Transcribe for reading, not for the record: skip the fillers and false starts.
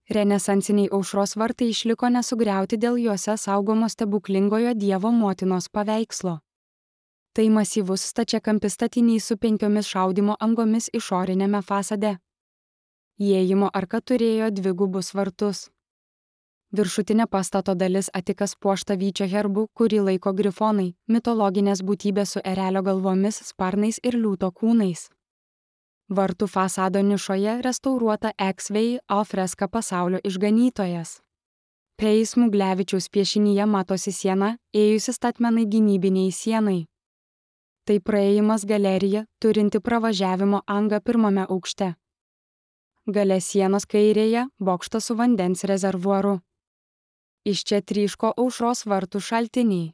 Renesansiniai aušros vartai išliko nesugriauti dėl juose saugomo stebuklingojo Dievo motinos paveikslo. Tai masyvus stačiakampis statinys su 5 šaudymo angomis išorinėme fasade. Įėjimo arka turėjo 2 gubus vartus. Viršutinė pastato dalis atikas puošta vyčio herbu, kurį laiko grifonai, mitologinės būtybės su erelio galvomis, sparnais ir liūto kūnais. Vartų fasado nišoje restauruota ex-vei alfreska Pasaulio išganytojas. Pei Smuglevičiaus piešinyje matosi siena, ėjusi statmenai gynybiniai sienai. Tai praėjimas galerija, turinti pravažiavimo angą 1 aukšte. Gale sienos kairėje bokštas su vandens rezervuaru. Iš čia tryško aušros vartų šaltiniai.